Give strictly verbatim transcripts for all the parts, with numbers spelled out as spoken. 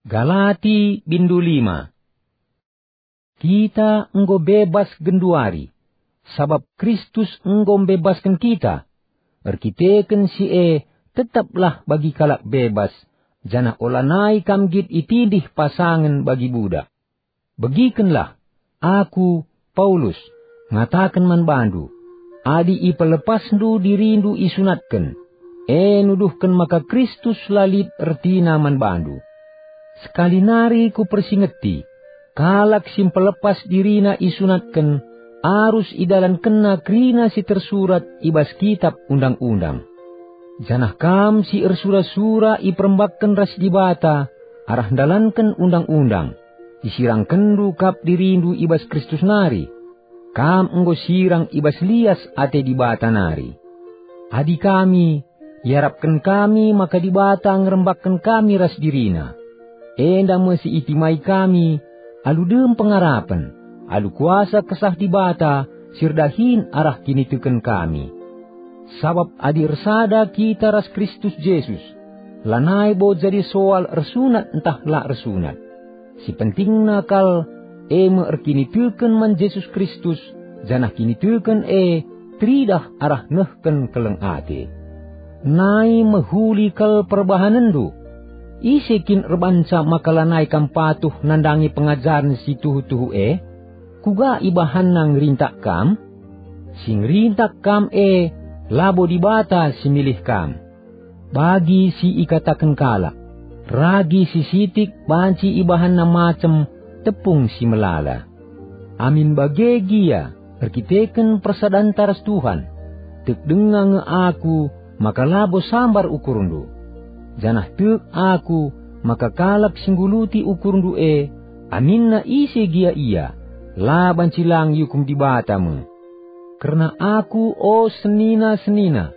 Galati bindu lima. Kita enggo bebas genduari, sabap Kristus enggo mbebasken kita. Erkiteken si e, tetaplah bagi kalak bebas, janah olanai kam nggit itindih pasangen bagi budak. Begikenlah, aku, Paulus, ngataken man bandu, adi ipelepasndu dirindu isunatken, e nuduhken maka Kristus la lit ertina man bandu. Sekali nari kupersingeti, kalak si mpelepas dirina isunatken, arus idalankenna kerina si tersurat i bas Kitap Undang-undang. Janah kam si ersura-sura iperembakken ras Dibata arah ndalanken Undang-undang, isirangkenndu kap dirindu i bas Kristus nari. Kam enggo sirang i bas lias ate Dibata nari. Adi kami, iarapken kami maka Dibata ngerembakken kami ras diriNa. Enda me si itimai kami, alu dem pengarapen, alu kuasa Kesah Dibata si erdahin arah kiniteken kami. Sabap adi ersada kita ras Kristus Jesus, lanai bo jadi soal ersunat ntah la ersunat. Si pentingna kal, e me erkiniteken man Jesus Kristus, janah kiniteken e teridah arah nehken keleng ate. Nai mehuli kal perbahanenndu. Ise kin erbanca maka lanai kam patuh nandangi pengajaren si tuhu-tuhu e? Kuga ibahanna ngerintak kam? Si ngerintak kam e labo Dibata si milih kam. Bagi si ikataken kalak, ragi si sitik banci ibahanna macem tepung si melala. Amin bage gia, erkiteken persadanta ras Tuhan, tek denga nge aku maka labo sambar ukurndu. Janah tek aku maka kalak si ngguluti ukurndu e, aminna ise gia ia, la banci lang iukum Dibata me. Kerna aku, o senina-senina,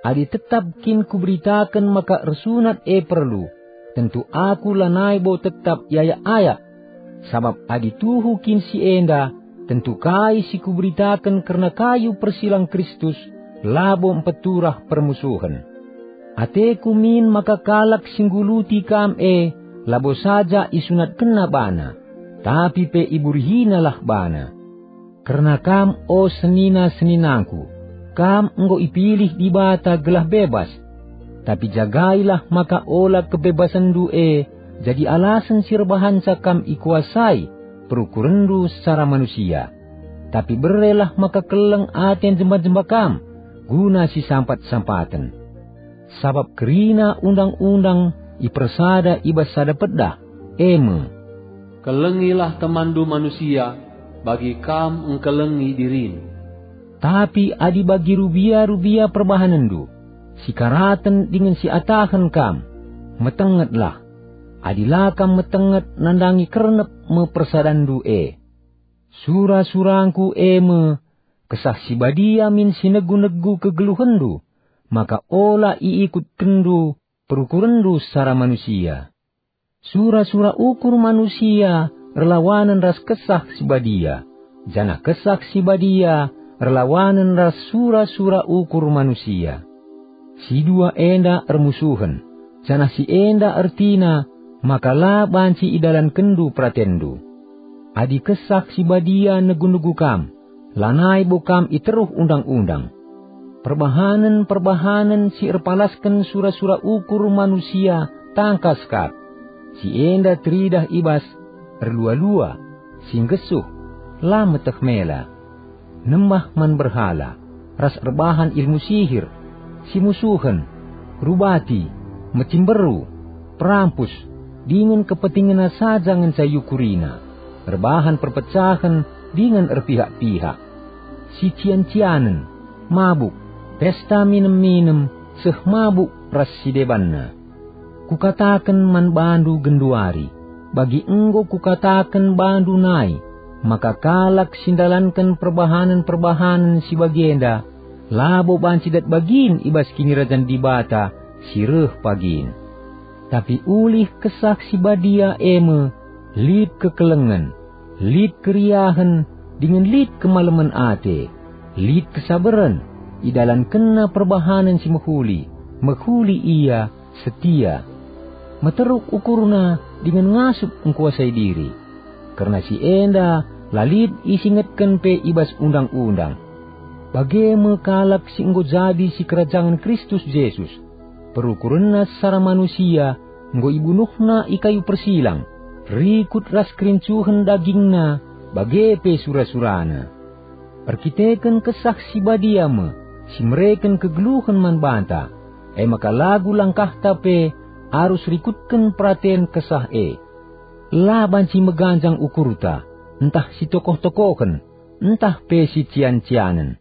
adi tetap kin kuberitaken maka ersunat e perlu, tentu aku lanai bo tetap iayak-ayak. Sabap adi tuhu kin si enda, tentu kai si kuberitaken kerna kayu persilang Kristus labo mpeturah permusuhen. Ateku min maka kalak si ngguluti kam e labo saja isunatkenna bana, tapi pe iburihinalah bana. Kerna kam, o senina-seninangku, kam enggo ipilih Dibata gelah bebas. Tapi jagailah maka ola kebebasenndu e jadi alasen si erbahanca kam ikuasai perukurenndu secara manusia. Tapi berelah maka keleng ate jemba-jemba kam guna sisampat-sampaten. Sabap kerina undang-undang ipersada i bas sada pedah, e me, "Kelengilah temanndu manusia, bagi kam engkelengi dirindu." Tapi adi bagi rubia-rubia perbahanenndu, sikaraten dingen siatahen kam, metengetlah. Adi la kam metenget, nandangi kernep me persadanndu e. Sura-surangku e me, Kesah Si Badia min si negu-negu kegeluhenndu, maka ola iikutkenndu perukurenndu secara manusia. Sura-sura ukur manusia erlawanen ras Kesah Si Badia, janah Kesah Si Badia erlawanen ras sura-sura ukur manusia. Si dua enda ermusuhen, janah si enda ertina maka la banci idalankenndu peratenndu. Adi Kesah Si Badia negu-negu kam, lanai bo kam i teruh undang-undang. Perbahanen-perbahanen si erpalasken sura-sura ukur manusia tangkas kap. Si enda teridah i bas erlua-lua, si nggesuh, la meteh mela, nembah man berhala, ras erbahan ilmu sihir, simusuhen, rubati, mecimberu, perampus, dingen kepentingenna saja ngenca iukurina, erbahan perpecahen dingen erpihak-pihak, sician-cianen, mabuk, pesta minem-minem, seh mabuk ras si debanna. Kukataken man bandu genduari, bagi enggo kukataken bandu nai, maka kalak si ndalanken perbahanen-perbahanen si bagenda labo banci dat bagin i bas Kinirajan Dibata si reh pagin. Tapi ulih Kesah Si Badia e me lit kekelengen, lit keriahen, dingen lit kemalemen ate, lit kesabaren, idalankenna perbahanen si mehuli, mehuli ia, setia. meteruk ukurna dingen ngasup engkuasai diri. Kerna si enda la lit isingetken pe i bas Undang-undang. Bage me kalak si enggo jadi sikerajangen Kristus Jesus. Perukurenna secara manusia enggo ibunuhna i kayu persilang, rikut ras kerincuhen dagingna bage pe sura-surana. Erkiteken Kesah Si Badia me si mereken kegeluhen man banta, e maka lagu langkahta pe arus rikutken peraten Kesah e. La banci meganjang ukurta, ntah si tokoh-tokohen, ntah pe si cian-cianen.